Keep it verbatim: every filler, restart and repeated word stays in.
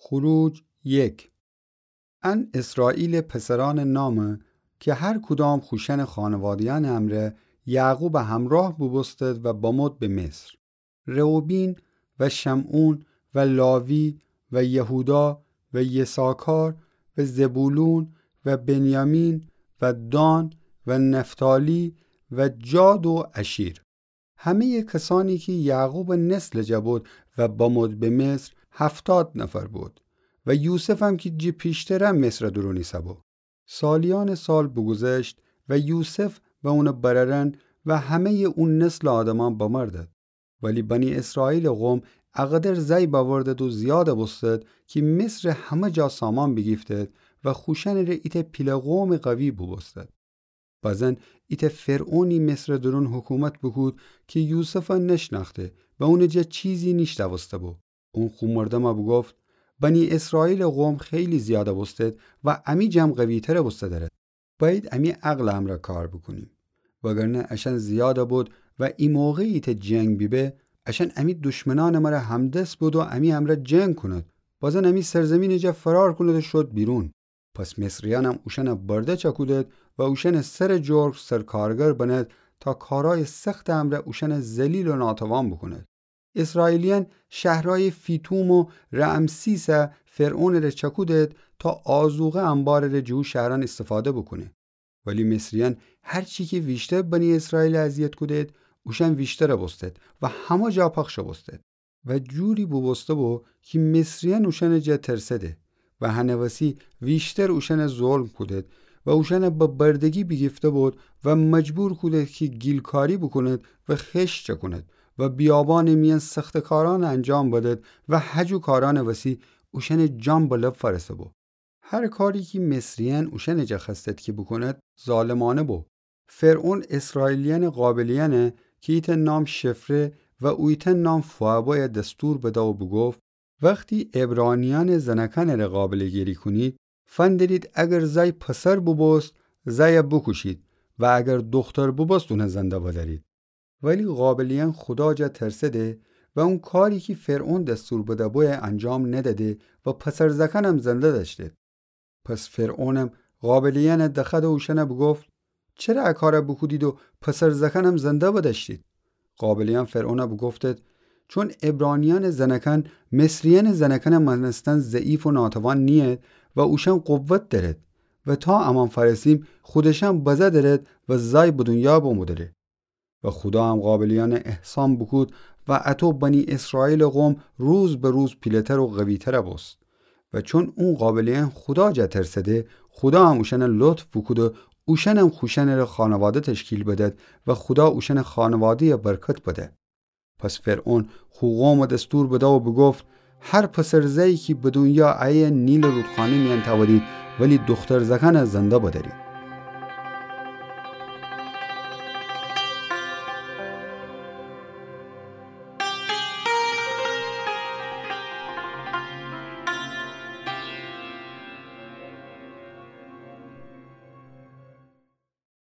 خروج یک. ان اسرائیلٚ پسرأنٚ نامه کی هر کدام خوشأنٚ خانواده‌یأنٚ امرأ یعقوبٚ همرأه بوبوستد و بمد به مصر: رئوبین و شمعون و لاوی و یهودا و یساکار و زبولون و بنیامین و دان و نفتالی و جاد و آشیر. همه‌یٚ کسأنی کی یعقوبٚ نسلٚ جا بد و بمد به مصر، هفتاد نفر بد. و یوسفم کی جٚه پیشتره مصرٚ دورون ایسه‌بو. سالیأنٚ سال بوگوذشت و یوسف و اونٚ برأرأن و همه‌یٚ او نسلٚ آدمأن بمردد. ولی بنی اسرائیلٚ قوم اقدر زأی بأوردد و زیاد بوستد کی مصرٚ همه جا سامان بیگیفتد و خوشأنٚ ره ایتأ پیله قومٚ قوی بوبوستد. بزن ایتأ فرعونی مصرٚ دورون حکومت بوکود کی یوسف نشنأخته و اونٚ جا چیزی نیشنوسته‌بو. اون خو مردم بوگفت: بنی اسرائیلٚ قوم خیلی زیاد بوستد و امی جم قوی‌تر بوسته دأرد. بأید امی عقلٚ امرأ کار بوکونیم. وگرنه اشأن زیاد بد و ایموقع ایتأ جنگ بیبه، اشأن امی دشمنأنٚ مره همدست بد و امی امرأ جنگ کند. بزن امی سرزیمینٚ جا فرار کند و شد بیرون. پس مصریأنم اوشأن برده چأکودد و اوشأنٚ سرٚ جرگ سرکارگر بند تا کارأیٚ سختٚ امرأ اوشأن ذلیل و ناتوان بوکوند. اسرائیلیأن شهرأیٚ فیتوم و رعمسیس فرعونٚ ره چأکودد تا آذوقه انبارٚ ره جٚه او شهرأن ایستفاده بوکونه. ولی مصریأن هر چی کی ویشتر بنی اسرائیل اذیت کودد، اوشأن ویشتر بوستد و همه جا پخش بوستد. و جوری بوبوسته‌بو کی مصریأن اوشأنٚ جا ترسده و هنٚ وسی ویشتر اوشأن ظلم کودد و اوشأن به بردگی بیگیفته بد و مجبور کودد کی گیلکاری بوکوند و خشت چأکوند و بیابانٚ میأن سخته کارأن انجام بدد و هجو کارأنٚ وسی اوشأنٚ جان به لب فأرسه‌بو. هر کاری کی مصریأن اوشأنٚ جا خوأستد کی بوکوند، ظالمأنه بو. فرعون اسرائیلیأنٚ قابلیأن کی ایتأ نام شفره و اویتأ نام فوعه بأیه دستور بده و بوگفت: وختی عبرانیأنٚ زنأکأنٚ ره قابله‌گری کونید، فندرید اگر زأی پسر بوبوست، زأی بوکوشید و اگر دوختر بوبوست، اون زنده بدأرید. ولی قابلیأن خودا جا ترسده و او کاری کی فرعون دستور بده‌بویه انجام ندأده و پسر زأکأنم زنده دأشتید. پس فرعونم قابلیأن دخوأد و اوشأن بوگفت: چره ا کار بوکودید و پسر زأکأنم زنده بدأشتید؟ قابلیأن فرعون بوگفتد: چون عبرانیأنٚ زنأکأن مصریأنٚ زنأکأن مأنستن ضعیف و ناتوان نیید و اوشأن قوت دأرید و تا امان فأرسیم خودشأن بزه دأرید و زأی به دونیا بمو دأره. و خودا هم قابلیأن احسان بوکود و اطو بنی اسرائیلٚ قوم روز به روز پیله‌تر و قوی‌تر بوست. و چون او قابلیأن خودا جا ترسده، خودا هم اوشأن لطف بوکود و اوشأنم خوشأنٚ ره خانواده تشکیل بدد و خودا اوشأنٚ خانواده‌یه برکت بده. پس فرعون خو قوم دستور بده و بوگفت: هر پسر زأیی کی به دونیا ایه نیلٚ رودخانه میأن تأودید، ولی دوختر زأکأن زنده بدأرید.